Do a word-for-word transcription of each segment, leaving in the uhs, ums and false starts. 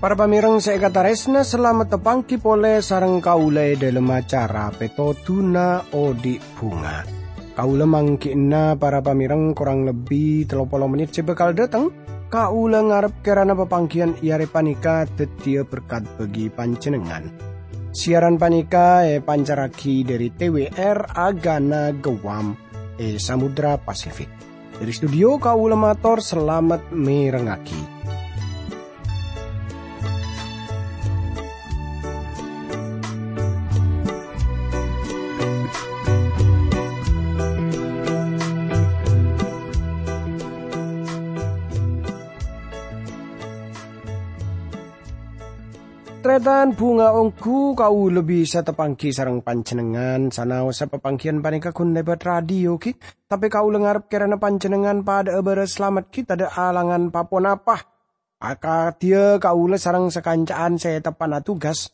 Para pamèrèng sè èkatarèsna, salamet tapangghi polè sareng kaulâ è dhâlem acara Pètodhuna Odi' Bhunga. Kaulâ mangghi'na para pamèrèng korang lebbi tello polo mennit sè bhâkal dhâteng. Kaulâ ngarep kèrana papangghiyân è arè panèka dhâddhiyâ berkat bagi panjhennengngan. Siaran panèka èpancarraghi dhâri T W R Agana Guam è Samudra Pasifik. Dhâri studio kaulâ mator salamet mèrengngaghi. Tarètan bhunga ongghu kaulâ bisa tapangghi sareng panjhennengngan, sanaossa papangghiyân panèka ghun lèbât radio, ghi. Tapè kaulâ ngarep kèrana panjhennengngan padhâ'â bârâs salamet, ghi, tadhâ' alangan pa-ponapa. Akadhiyâ kaulâ sareng sakanca'an sè teppa'na tugas.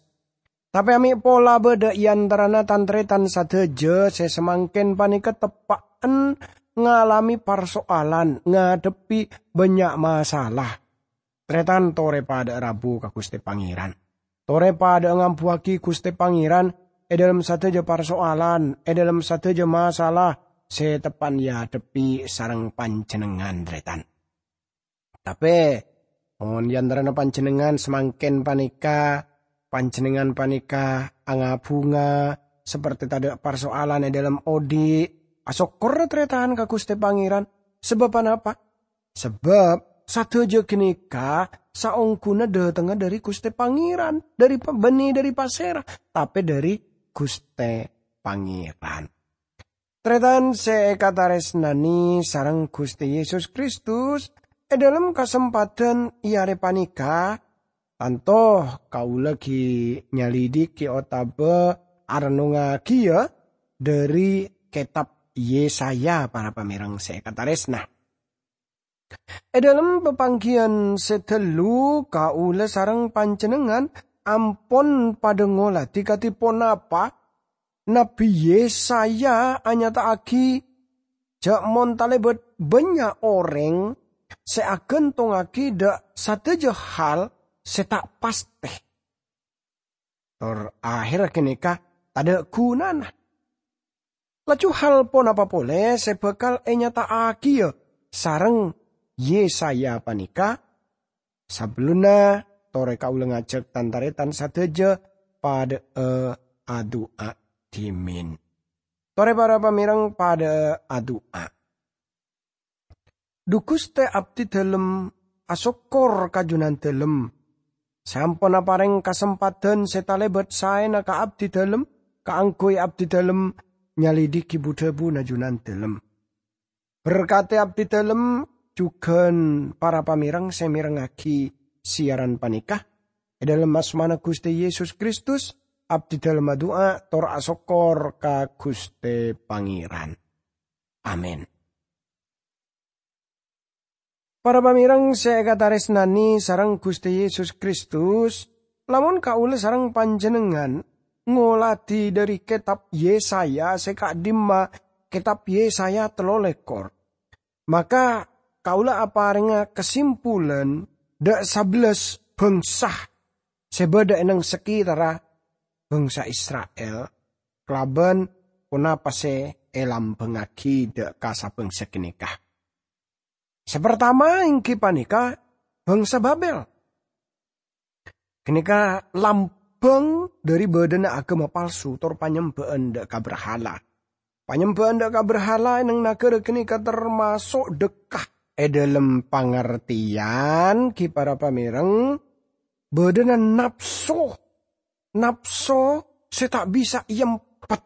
Tapè amè' pola bâdâ è antarana tan-tarètan sadhâjâ sè samangkèn panèka teppa'en ngalamè parso'alan, ngadhebbhi bânnya' masalah. Tarètan torè padhâ'â rabu ka Ghustè Pangèran. Torè padhâ'â ngambuwâghi Ghustè Pangèran è dhâlem sadhâjâ parso'alan, è dhâlem sadhâjâ masalah sè teppa'en èadhebbhi sareng panjhennengngan, tarètan. Tapè, mon è antarana panjhennengngan samangkèn panèka, panjhennengngan panèka anga-bhunga, sapertè tadhâ' parso'alan è dhâlem odi', asokkorra tarètan ka Ghustè Pangèran. Sabâb ponapa? Sabâb sadhâjâ ghânèka saongghuna dhâtengnga dhâri Ghustè Pangèran, dhâri pa-, bânnè dhâri pasèra, tapè dhâri Ghustè Pangèran. Tarètan sè èkatarèsnanè sareng Ghustè Yesus Kristus, è dhâlem kasempadhân è arè panèka, tanto kaulâ ghi' nyalidiki otabâ arennongngaghi, yâ, dhâri kètab Yesaya, para pamèrèng sè èkatarèsna. È dhâlem papangghiyân sè dâllu, kaulâ sareng panjhennengngan ampon padhâ ngoladhi kadhi ponapa Nabbhi Yesaya anyata'aghi jhâ' mon talèbât bânnya' orèng sè aghântongngaghi dhâ' sadhâjâ hal sè ta' pastè, tor ahèrra ghânèka tadhâ' ghunana. Laju hal ponapa polè sè bhâkal ènyata'aghiyâ sareng Yesaya panèka? Sabellunna, torè kaulâ ngajhâk tan-tarètan sadhâjâ padhâ'â adu'a dhimèn. Torè para pamèrèng padhâ'â adu'a. Dhu Ghustè, abdhi dhâlem asokkor ka Jhunandhâlem, sè ampon aparèng kasempadhân sè talèbât saèna ka abdhi dhâlem, kaangghuy abdhi dhâlem nyalidhiki bu-dhâbuna Jhunandhâlem. Berkadhi abdhi dhâlem jhughân para pamèrèng sè mèrengngaghi siyaran panèka. È dhâlem asmana Ghustè Yesus Kristus, abdhi dhâlem adu'a tor asokkor ka Ghustè Pangèran. Amin. Para pamèrèng sè èkatarèsnanè sareng Ghustè Yesus Kristus, lamon kaulâ sareng panjhennengngan ngoladhi dhâri kètab Yesaya sè ka'dhimma, kètab Yesaya tello lèkor, maka kaulâ aparèngnga kasimpulan dhâ' sabellâs bhângsa sè bâdâ è neng sakitarra bhângsa Isra'il, kalabân ponapa sè èlambhângngaghi dhâ' ka sabhângsa ghânèka. Sè partama èngghi panèka bhângsa Babel. Ghânèka lambhâng dhâri bâdâna aghâma palsu tor panyembhâ'ân dhâ' ka brahala. Panyembhâ'ân dhâ' ka brahala è neng naghârâ ghânèka tamaso' dhâkka. È dhâlem pangartèyan, ghi para pamèrèng, bâdâna napso, napso sè ta' bisa èempet.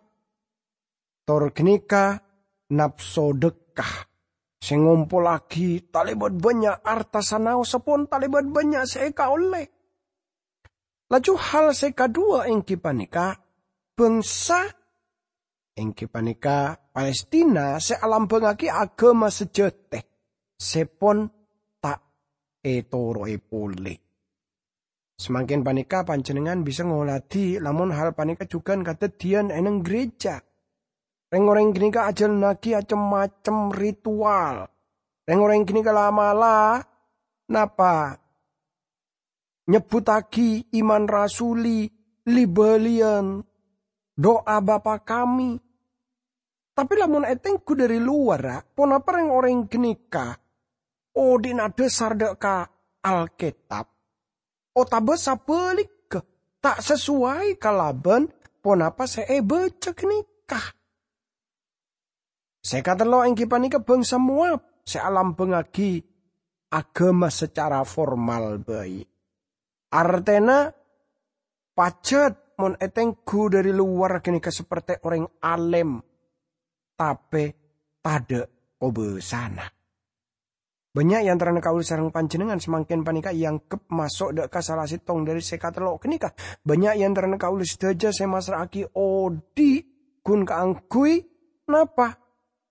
Tor ghânèka napso dhâkka, sè ngompollaghi talèbât bânnya' arta sanaossa pon talèbât bânnya' sè èkaollè. Laju hal sè kaduwâ èngghi panèka bhângsa, èngghi panèka Palestina sè alambhângngaghi aghâma sajâtè, sè pon ta' ètoro'è polè. Samangkèn panèka panjhennengngan bisa ngoladhi lamon hal panèka jhughân kadhâddhiyân è neng gereja. Rèng-orèng ghânèka ajhâlannaghi cem-macem ritual. Rèng-orèng ghânèka la'-mala' napa? Nyebbhuttaghi iman rasuli, li-bâliyân, du'a Bapa Kami. Tapè lamon ètengghu dhâri lowarra, ponapa rèng-orèng ghânèka odi'na dhâsar dâ' ka Alkètab, otabâ sabhâligghâ, ta' sasowai kalabân ponapa sè èbâca ghânèka? Sè katello' èngghi panèka bhângsa Moab sè alambhângaghi aghâma sacara formal bhâi. Artèna, pajhât mon ètengghu dhâri lowar ghânèka sapertè orèng alèm, tapè tadhâ' kobâsana. Bânnya' è antarana kaulâ sareng panjhennengngan samangkèn panèka èangghep maso' dâ' ka sala sèttong dhâri sè katello' ghânèka. Bânnya' è antarana kaulâ sadhâjâ sè massra'aghi odi' ghun kaangghuy napa?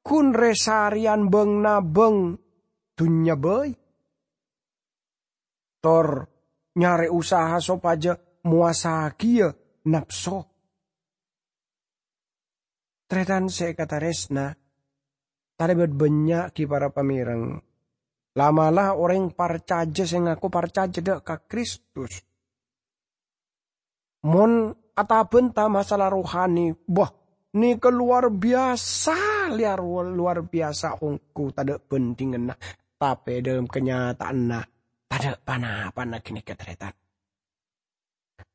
Ghun rè-sarèyan bâng-nabâng dhunnya bhâi. Tor nyarè usaha sopajâ mowasaghiyâ napso. Tarètan sè èkatarèsna, talèbât bânnya' ghi para pamèreng. La'-mala' orèng parcajâ sè ngako parcajâ dâ' ka Kristus. Mon atabânta masalah rohani, bâh, nèka lowar biyasa, liyar-, lowar biyasa ongghu tadhâ' bhândhinganna, tapè è dhâlem kanyataanna tadhâ' pa-napana ghânèka, tarètan.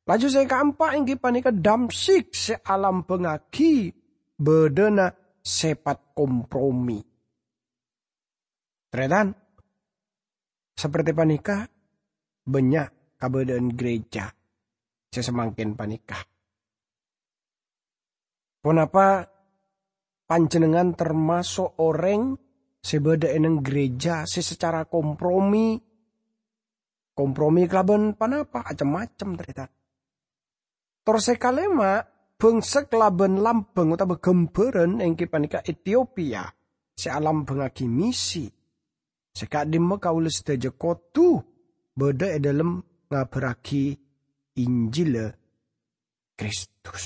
Laju sè kaempa' èngghi panèka Damsyik sè alambhângaghi bâdâna sèpat kompromi. Tarètan, sapertè panèka bânnya' kabâdâ'ân gereja sè samangkèn panèka. Ponapa panjhennengngan tamaso' orèng sè bâdâ è neng gereja sè sacara kompromi, kompromi kalabân ponapa? Acem-macem, tarètan. Tor sè kalèma', bhângsa kalabân lambhâng otabâ ghâmbhârân èngghi panèka Etiopia sè alambhângaghi misi. Sè ka'dimma kaulâ sadhâjâ kodhu bâdâ è dhâlem ngabhârraghi Injilla Kristus.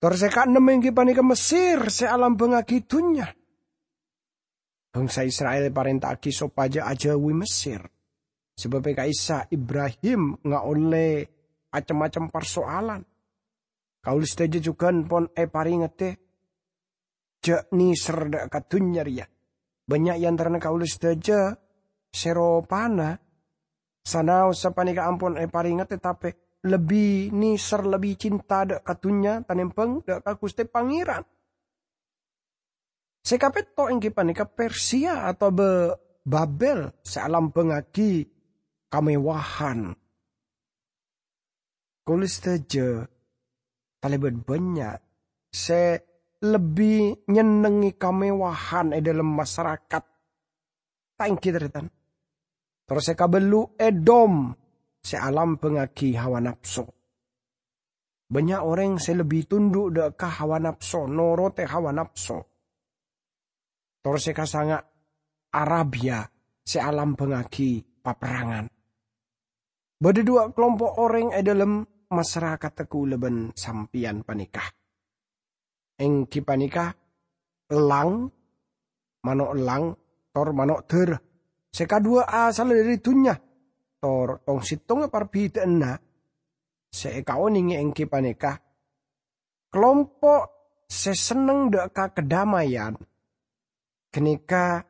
Tor sè kaennem èngghi panèka Mesir sè alambhângaghi dhunnya. Bhângsa Isra'il èparènta'aghi sopajâ ajâuwi Mesir, sabâb è ka'issa' Ibrahim ngaollè acem-macem parsoalan. Kaulâ sadhâjâ jhughân pon èparèngedhâ, jhâ' nèser dâ' ka dhunnya rèya. Bânnya' è antarana kaulâ sadhâjâ sè ropana sanaos sapanèka ampon èparèngedhâ, tapè lebbi nèser, lebbi cinta dâ' ka dhunnya tanèmbhâng dâ' ka Ghustè Pangèran. Sè kapètto' èngghi panèka Persia otabâ Babel sè alambhângaghi kamewahan. Kaulâ sadhâjâ talèbât bânnya' sè lebbi nyennengngè kamewahan è dhâlem masarakat. Ta' èngghi, tarètan? Tor sè kabellu' Edom sè alambhângaghi hawa napso. Bânnya' orèng sè lebbi tundhu' dâ' ka hawa napso, norotè hawa napso. Tor sè kasanga' Arabia sè alambhângaghi paperrangan. Bâdâ duwâ' kalompo' orèng è dhâlem masarakatta kaulâ bân sampèyan panèka. Èngghi panèka ellang, mano' ellang, tor mano' dârâ. Sè kaduwâ asalla dhâri dhunnya, tor tong-sèttongnga parbhidhâ'ânna sè èkaonèngè èngghi panèka kalompo' sè senneng dâ' ka kadammayan ghânèka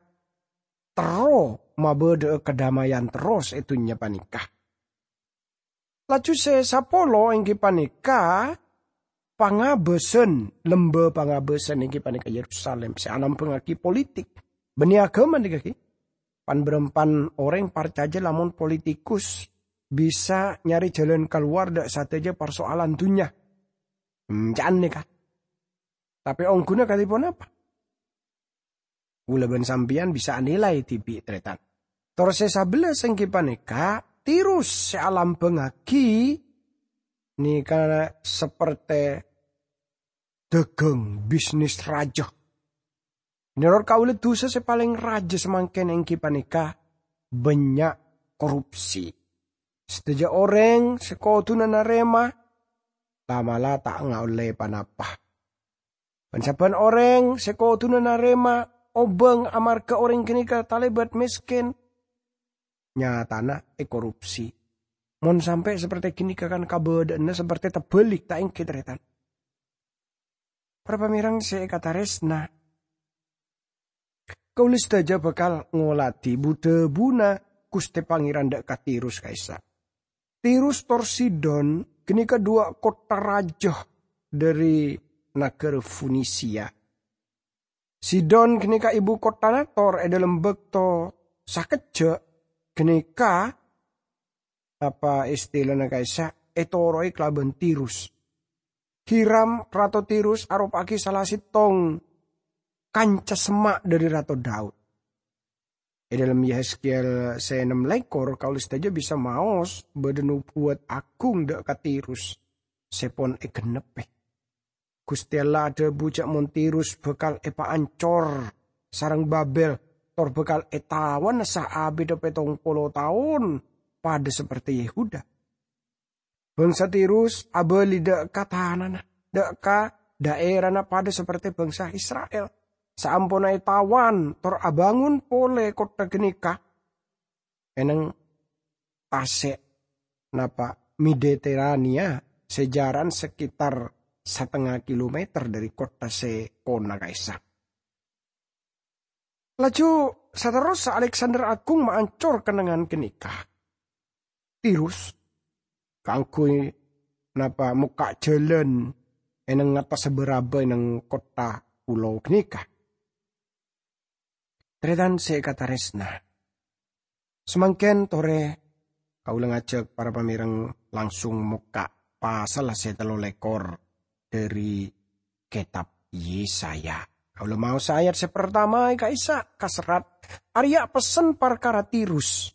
terro mabâdâ'â kadammayan terros è dhunnya panèka. Laju sè sapolo èngghi panèka pangabâsan, lembâ pangabâsan èngghi panèka Yerusalem sè alambhângaghi politik bânnè aghâma nèka ghi. Pan-bârâmpan orèng parcajâ lamon politikus bisa nyarè jhâlân kalowar dâ' sadhâjâ parsoalan dhunnya. Hmm, ca'an nèka. Tapè ongghuna kadhi ponapa? Kaulâ bân sampèyan bisa anilai dhibi', tarètan. Tor sè sabellâs èngghi panèka Tirus sè alambhângaghi nèka saperte dhâghâng, bisnis rajâ. Menorot kaulâ, dhusa sè palèng rajâ samangkèn èngghi panèka bânnya' korupsi. Sadhâjâ orèng sè kodhuna narèma, la'-mala' ta' ngaollè pa-napa. Bân sabbhân orèng sè kodhuna narèma obâng amarghâ orèng ghânèka talèbât mèskèn, nyatana èkorupsi. Mon sampè' saperte ghânèka kan kabâdâ'ânna saperte tabhâlik, ta' ènggi, tarètan? Para pamèrèng sè èkatarèsna, kaulâ sadhâjâ bhâkal ngolatè bu-dhâbuna Ghustè Pangèran dâ' ka Tirus ka'issa'. Tirus tor Sidon ghânèka dhuwâ' kottha rajâ dhâri naghârâ Fonisia. Sidon ghânèka ibu kottana tor è dhâlem bâkto sakejjhâ' ghânèka, apa istilana ka'issa', ètoro'è kalabân Tirus. Hiram, Rato Tirus aropa'aghi sala sèttong kanca semma' dhâri Rato Daud. È dhâlem Yehezkiel sè ennem lèkor, kaulâ sadhâjâ bisa maos bâdâ nobuwât aghung dâ' ka Tirus sè pon ègennebbhi. Ghustè Allah adhâbu jhâ' mon Tirus bhâkal èpaancor sareng Babel, tor bhâkal ètawana saabidhâ pèttong polo taon, padâ saperte Yehuda. Bangsa Tirus abâli dâ' ka tanana, dâ' ka dhaèrana padâ saperte bangsa Isra'il. Saamponna ètawan tor abângon polè kottha ghânèka, è neng tasè', napa, Mediterania sè jhârân sakitar satengnga kilometer dhâri kottha sè ponna ka'issa'. Laju saterrossa Aleksander Aghung maancor kennengngan ghânèka. Tirus kaangghuy, napa, mokka' jhâlân è neng ngattassa bârâbâ è neng kottha pulo ghânèka. Tarètan sè èkatarèsna, samangkèn torè kaulâ ngajhâk para pamèrèng langsung mokka' pasalla sè tello lèkor dhâri kètab Yesaya. Kaulâ maosa ayat sè partama è ka'issa' kaserrat, arèya pessen parkara Tirus.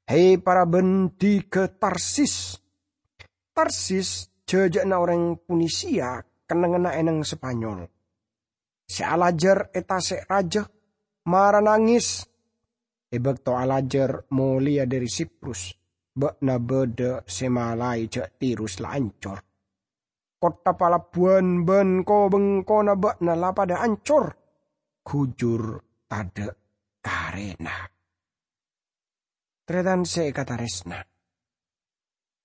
He, para bhândhigâ Tarsis! Tarsis jhâjhâ'na orèng Fonisia, kennengnganna è neng Spanyol. Sè alajâr è tasè' rajâ, mara nangès. È bâkto alajâr molèya dhâri Siprus, bâ'na bâdâ sè malaè jhâ' Tirus la ancor. Kottha palabbuwân bân ko-bengkona bâ'na la padâ ancor, ghujur tadâ' karèna. Tarètan sè èkatarèsna,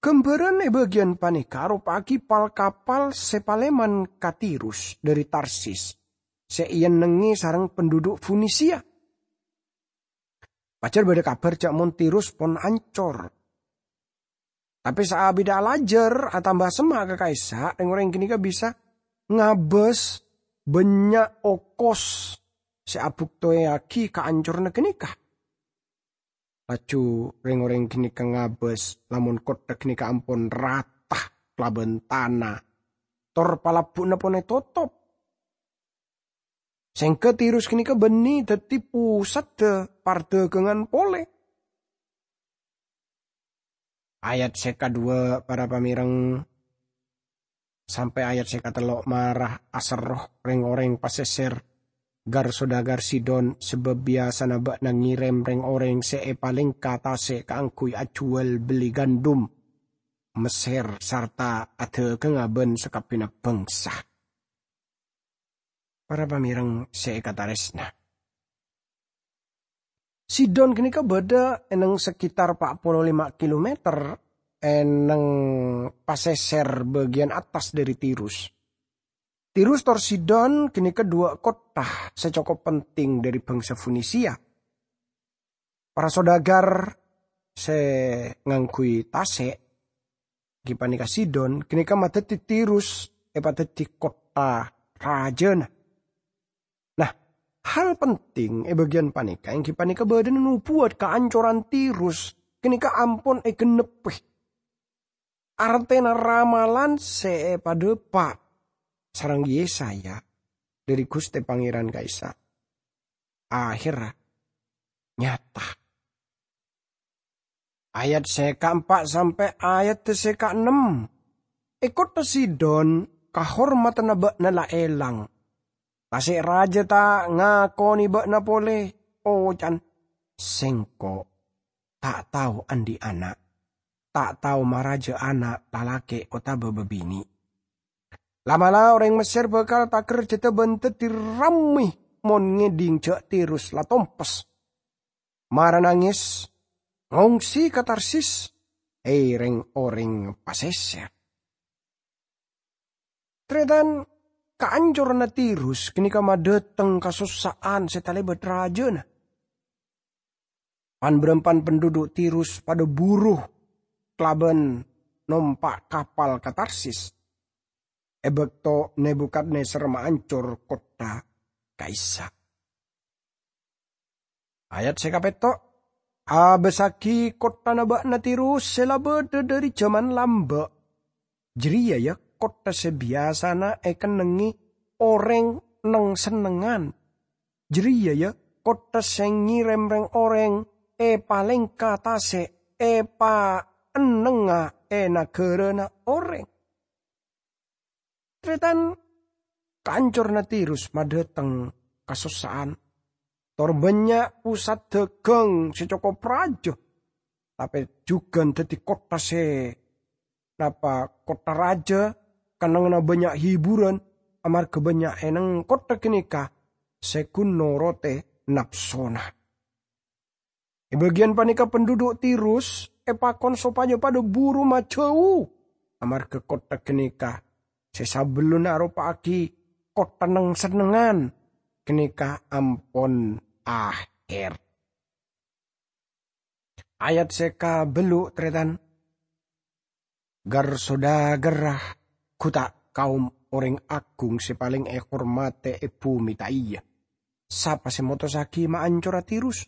ghâmbhârân è bâgiyân panèka aropa'aghi pal-kapal sè palèman ka Tirus dhâri Tarsis, sè èennengngè sareng pandhudhu' Fonisia. Pajhâr bâdâ kabhâr jhâ' mon Tirus pon ancor. Tapè saabidhâ alajâr atamba semma' ka ka'issa', rèng-orèng ghânèka bisa ngabâs bânnya' okos sè abuktowaghi kaancoranna ghânèka. Laju rèng-orèng ghânèka ngabâs lamon kottha ghânèka ampon rata kalabân tana, tor palabbu'na pon ètotop. Sèngghâ Tirus ghânèka bânnè dhâddhi posadda pardhâghângan polè. Ayat sè kaduwâ', para pamèrèng, sampè' ayat sè katello' mara aserro rèng-orèng pasèsèr, gar-sodagar Sidon, sabâb biyasana bâ'na ngèrèm rèng-orèng sè èpalèngka tasè' kaangghuy ajhuwâl bellè gandum Messèr sarta adhâghângnga bân sakabbhiyânna bhângsa. Para pamèrèng sè èkatarèsna, Sidon ghânèka bâdâ è neng sekitar pa' polo lèma' kilometer è neng pasèsèr bâgiyân attas dhâri Tirus. Tirus tor Sidon ghânèka dhuwâ' kottha sè cokop penting dhâri bhângsa Fonisia. Para sodagar sè ngangghuy tasè', ghi panèka Sidon, ghânèka madhâddhi Tirus èpadhâddhi kottha rajâna. Nah, hal penting è bâgiyân panèka èngghi panèka bâdâna nobuwât kaancoran Tirus ghânèka ampon ègennebbhi. Artèna ramalan sè èpadhâpa' sareng Yesaya dhâri Ghustè Pangèran ka'issa' ahèrra nyata. Ayat sè kaempa' sampè' ayat sè kaennem. È kottha Sidon, kahormadhânna bâ'na la èlang. Tasè' rajâ ta' ngakonè bâ'na polè, oca'na, "Sèngko' ta' tao andi' ana'." ta' tao maraja ana' lalake' otaba babine'. La'-mala' oreng Messer bakal takerjada ban daddi ramme mon ngedhing ja' Tirus la tompes. Mara nanges, ngongsi ka Tarsis, e, reng-oreng paseser. Taretan, kaancoranna Tirus ganeka madhateng kasossa'an se talebat rajana. Pan-barampan penduduk Tirus padha buru kalaban nompa' kapal ka Tarsis e bakto Nebukadnezar maancor kottha ka'issa'. Ayat se kapetto', "Abassagi kotthana ba'na Tirus se la badha dhari jaman lamba'. Jareya, ya, kottha se biyasana ekennengnge oreng neng-sennengngan. Jareya, ya, kottha se ngerem reng-oreng epalengka tase', epaennengnga e nagarana oreng." Taretan, kaancoranna Tirus madhateng kasossa'an. Tor bannya' pusat dagang se cokop raja, tape jugan daddi kottha se napa kottha raja, kennengnganna bannya' hiburan, amarga bannya' eneng kottha ganeka se gun norote napsona. E bagiyan paneka penduduk Tirus epakon sopajâ padâ buru majâu, amarga kottha ganeka sè sabellunna aropa'aghi kottha neng-sennengngan ganeka ampon aher. Ayat sè kabellu', tarètan. Gar-sodagarra gu ta' kaom orèng agung sè palèng èhormadhi è bhumè, ta' iyâ? Sapa sè motossaghi maancora Tirus,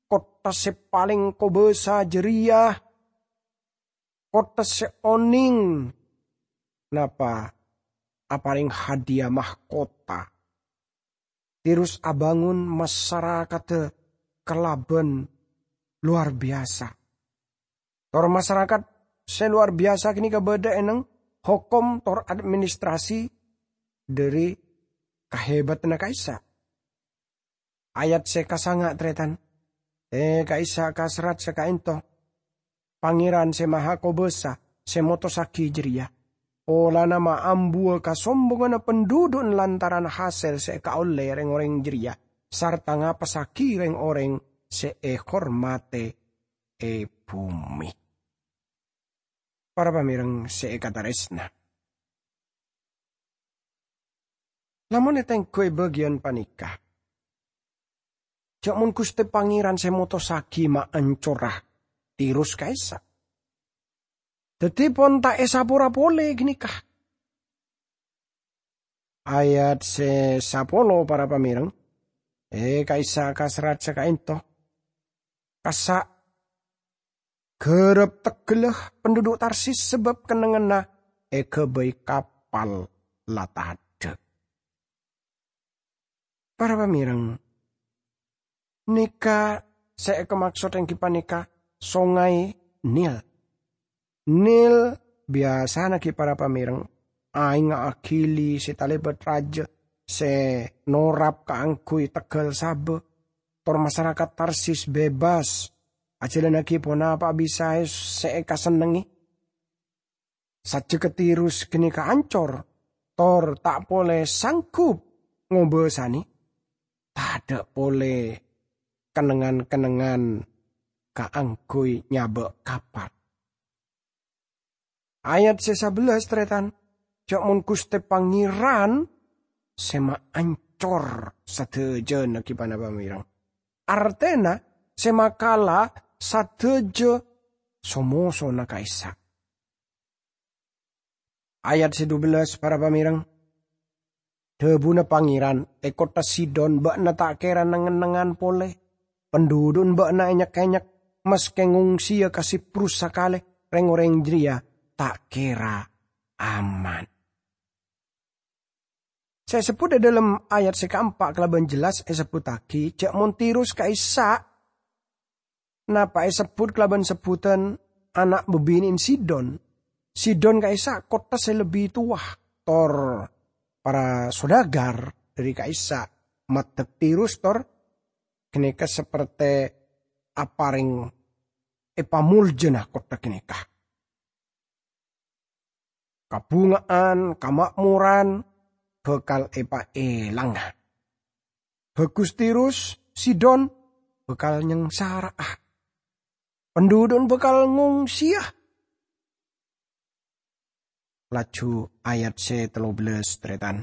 kottha sè palèng kobâsa jârèya, kottha sè onèng napa aparèng hadiya mahkota? Tirus abângon masarakatta kalabân lowar biyasa. Tor masarakat sè lowar biyasa ganèka bâdâ è neng hokom tor administrasi dhâri kahèbâdhânna ka'issa'. Ayat sè kasanga', tarètan. È, ka'issa' kaserrat sè ka'ènto. Pangèran sè Mahakobâsa sè motossaghi jârèya, polana maambuwâ kasombonganna penduduk lantaran hasèl sè èkaollè rèng-orèng jârèya, sarta ngapassaghi rèng-orèng sè èhormadhi è bhumè. Para pamèreng sè èkatarèsna. Lamon ètengghu è bâgiyân panèka, jhâ' mon Ghustè Pangèran sè motossaghi maancora Tirus ka'issa', dhâddhi pon ta' èsapora polè ganèka. Ayat sè sapolo, para pamèreng, è, ka'issa' kaserrat sè ka'ènto. Kassa' ghârâp tegghâlla penduduk Tarsis sabâb kennengnganna èghâbây kapal la tadâ'. Para pamèreng, nèka sè èkamaksod èngghi panèka Songay Nil. Nil biyasana ghi, para pamèreng, aèngnga aghili sè talèbât rajâ sè norap kaangghuy tegghâl sabâ, tor masarakat Tarsis bebas ajhâlânnaghi ponapa'a bisaè sè èkasennengngè. Sajjhegghâ Tirus ganèka ancor, tor ta' polè sanggup ngobâsanè, tadâ' polè kennengngan-kennengngan kaangghuy nyabâ' kapal. Ayat sè sabellâs, tarètan, jhâ' mon Ghustè Pangèran sè maancor sadhâjâna ghi, para pamèreng. Artèna sè makala sadhâjâ so-mosona ka'issa'. Ayat sè dubellâs, para pamèreng. Dhâbuna Pangèran, è kottha Sidon bâ'na ta' kèra neng-ennengngan polè. Pendudun bâ'na ènyek-kènyek, maskè ngongsiya ka Siprus sakalè, rèng-orèng jârèya ta' kèra aman. Sè èsebbhut è dhâlem ayat sè kaempa' kalabân jelas èsebbhuttaghi jhâ' mon Tirus ka'issa' napa èsebbhut kalabân sebbhutan ana' bâbinè'an Sidon. Sidon ka'issa' kottha sè lebbi towa, tor para sodagar dhâri ka'issa' maddhek Tirus tor ganèka sapertè aparèng èpamoljâna kottha ganèka. Kabhunga'an, kama'moran bhâkal èpaèlanga. Bhâghus Tirus, Sidon bhâkal nyangsara'a. Pandhudhu'na bhâkal ngongsèya. Laju ayat sè tello bellâs, tarètan.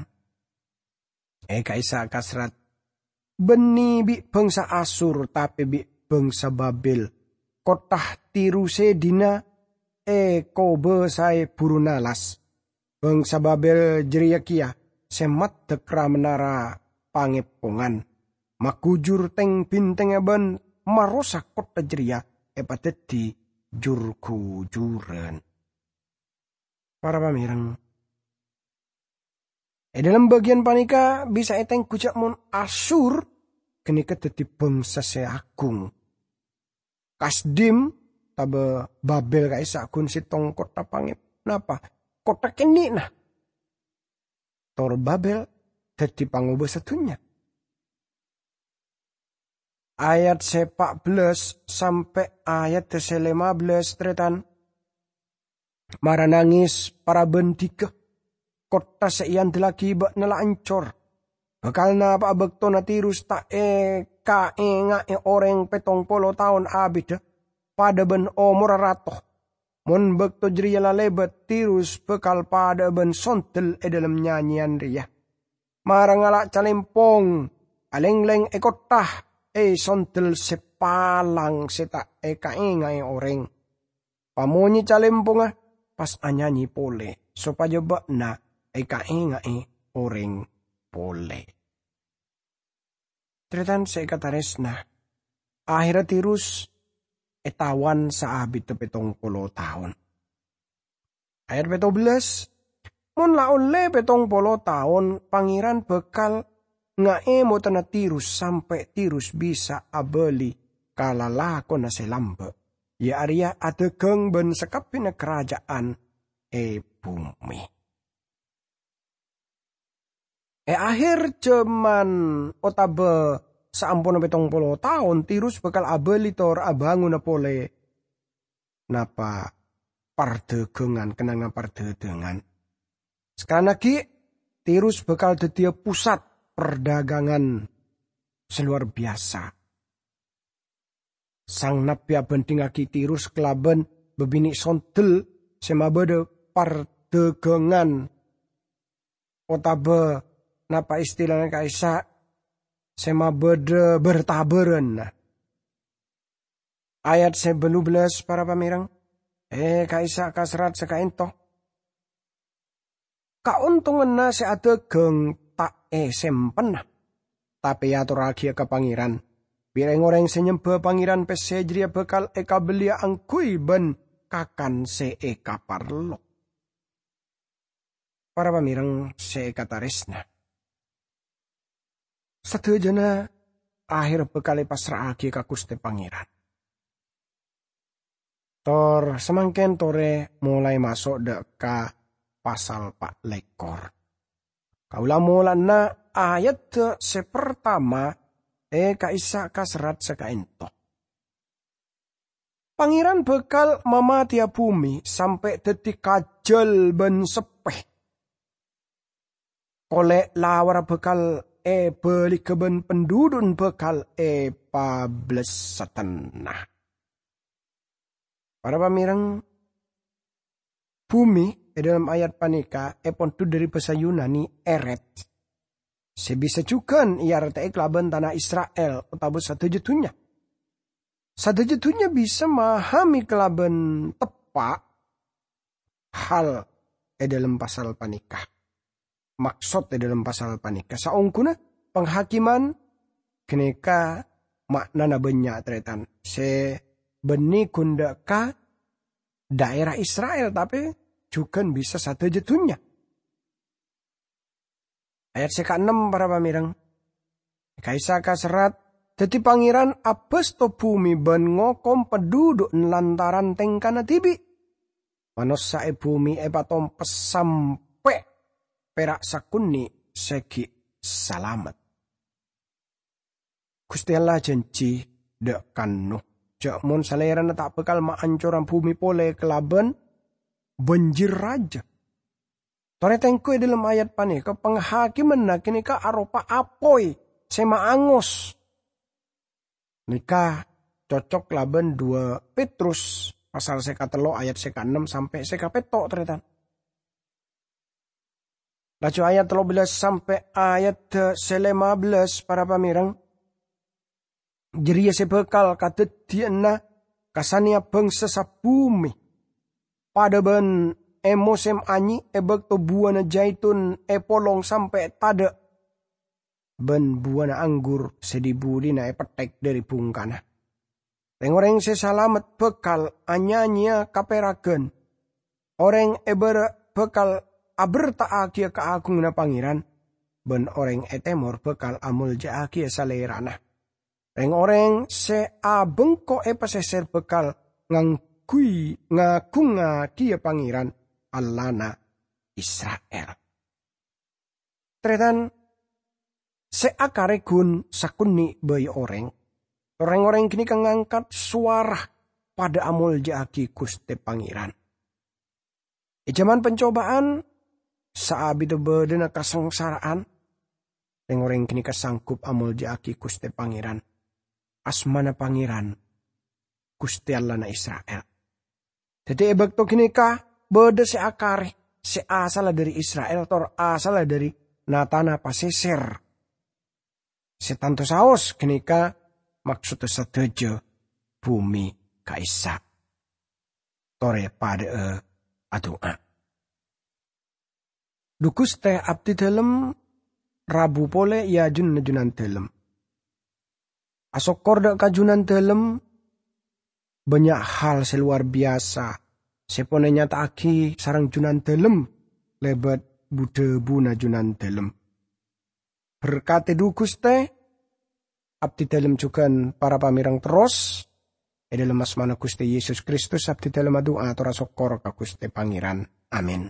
È ka'issa' kasrat, bânnè bi' bhângsa Asur, tapè bi' bhângsa Babel, kottha Tirus sè dina èkobâsaè buru nalas. Bhângsa Babel jârèya kèya sè maddhek ra-menara pangèpongan, magujur tèng-bhintèngnga bân marosak kottha jârèya èpadhâddhi jur-ghujuran. Para pamèreng, è dhâlem bâgiyân panèka bisa ètengghu jâ' mon Asur ghânèka dhâddhi bhângsa sè agung. Kasdim, otabâ Babel ka'issa' ghun sèttong kottha pangèp-, napa? Kottha kènè'na. Tor Babel dhâddhi pangobâsa dhunnya. Ayat sè pa' bellâs sampè' ayat sè lèma bellâs, tarètan. Mara nangès, para bhândhigâ! Kottha sè èandellaghi bâ'na la ancor. Bhâkal napa'a bâktona Tirus ta' èkaènga'è orèng pèttong polo taon abiddhâ, padâ bân omorra rato? Mon bâkto jârèya la lèbât, Tirus bhâkal padâ'â bân sondel è dhâlem nyanyèyan rèya. Mara ngala' calèmpong, alènglèng è kottha, è sondel sè palang sè ta' èkaènga'è orèng. Pamonyè calèmpongnga, pas anyanyè polè, sopajâ bâ'na èkaènga'è orèng polè. Tarètan sè èkatarèsna, ahèrra Tirus ètawan saabiddhâ pèttong polo taon. Ayat pètto bellâs, "Mon la ollè pèttong polo taon, Pangèran bhâkal ngaèmotana Tirus sampè' Tirus bisa abâli ka lalakonna sè lambâ', iyâ arèya adhâghâng bân sakabbhiyânna karaja'an è bhumè." È ahèr jhâman otabâ saamponna pèttong polo taon, Tirus bhâkal abâli tor abângona polè napa pardhâghângan, kennengnganna pardhâghângan. Sakalangkong, Tirus bhâkal dhâddhiyâ pusat pardhâghângan sè lowar biyasa. Sang nabbhi abhândhingngaghi Tirus kalabân bâbinè' sondel sè mabâdâ pardhâghângan, otabâ napa istilana ka'issa' sè mabâdâ bâr-tabârânna. Ayat sè bâllu bellâs, para pamèreng, è ka'issa' ka serrat sè ka'ènto. Kaontonganna sè adhâghâng ta' èsempenna, tapè èatorraghiyâ ka Pangèran. Bi' rèng-orèng sè nyembhâ pangèran pèssè jârèya bhâkal èkabelliyâ angghuy bân kakan sè èkaparlo. Para pamèreng sè èkatarèsna, sadhâjâna ahèrra bhâkal èpassra'aghi ka Ghustè Pangèran. Tor samangkèn torè molaè maso' dâ' ka pasal pa' lèkor. Kaulâ molana ayat sè partama è ka'issa' ka serrat sè ka'ènto. Pangèran bhâkal mamatèya bhumè sampè' dhâddhi kajhâl bân seppè. Kolè' lawarra bhâkal èbâligghâ bân pandhudhu'na bhâkal èpablessaddhâna. Para pamèreng, bhumè è dhâlem ayat panèka èpondhut dhâri bhâsa Yunani eret, sè bisa jhughân èartè'è kalabân tana Isra'il otabâ sadhâjâ dhunnya. Sadhâjâ dhunnya bisa mahamè kalabân teppa' hal è dhâlem pasal panèka. Maksod è dhâlem pasal panèka, saongghuna panghakiman ghânèka ma'nana bânnya', tarètan, sè bânnè ghun dâ' ka dhaèra Isra'il, tapè jhughân bisa sadhâjâ dhunnya. Ayat sè kaennem, para pamèreng. Ka'issa' ka serrat, dhâddhi Pangèran abâsto bhumè bân ngokom pandhudhu'na lantaran tèngkana dhibi'. Manossa è bhumè èpatompes sampè' pèra' sakonè' sè ghi' salamet. Ghustè Allah ajhânjhi dâ' ka Nuh, jhâ' mon salèrana ta' bhâkal maancora bhumè polè kalabân banjir rajâ. Torè tengghu è dhâlem ayat panèka, panghakimanna ghânèka aropa apoy sè maangos. Nèka cocok labân dua Petrus pasal sè katello ayat sè kaennem sampè' sè kapètto', tarètan. Laju ayat tello bellâs sampè' ayat sè lèma bellâs, para pamèreng, jârèya sè bhâkal kadhâddhiyânna kasanèya bhângsa sabhumè, padâ bân è mosèm anyè' è bâkto buwâna jaitun èpolong sampè' tadâ', bân buwâna anggur sè dhi-budhina èpetthèk dhâri bhungkana. Rèng-orèng sè salamet bhâkal anyanyèya kapèraghân. Orèng è bârâ' bhâkal abherta'aghiyâ kaagunganna Pangèran, bân orèng è tèmor bhâkal amolja'aghiyâ Salèrana. Rèng-orèng sè abengko è pasèsèr bhâkal ngangghuy-, ngagungngaghiyâ Pangèran, Allahna Isra'il. Tarètan, sè akarè ghun sakonè' bhâi orèng. Rèng-orèng ghânèka ngangkat sowara padâ amolja'aghi Ghustè Pangèran. È jhâman pancobâ'ân, saabiddhâ bâdâna kasangsara'an, rèng-orèng ghânèka sanggup amolja'aghi Ghustè Pangèran. Asmana Pangèran, Ghustè Allahna Isra'il. Dhâddhi, è bâkto ghânèka bâdâ sè akarè, sè asalla dhâri Isra'il, tor asalla dhâri na-tana pasèsèr. Sè tanto saos ghânèka maksodda sadhâjâ bhumè ka'issa'. Torè padâ'â adu'a. Dhu Ghustè, abdhi dhâlem rabu polè è ajunanna Junandhâlem. Asokkor dâ' ka Junandhâlem, bânnya' hal sè lowar biyasa sè pon ènyata'aghi sareng Junandhâlem lèbât bu-dhâbuna Junandhâlem. Berkadhi dhu Ghustè, abdhi dhâlem jhughân para pamèreng terros, è dhâlem asmana Ghustè Yesus Kristus abdhi dhâlem adu'a tor asokkor ka Ghustè Pangèran. Amin.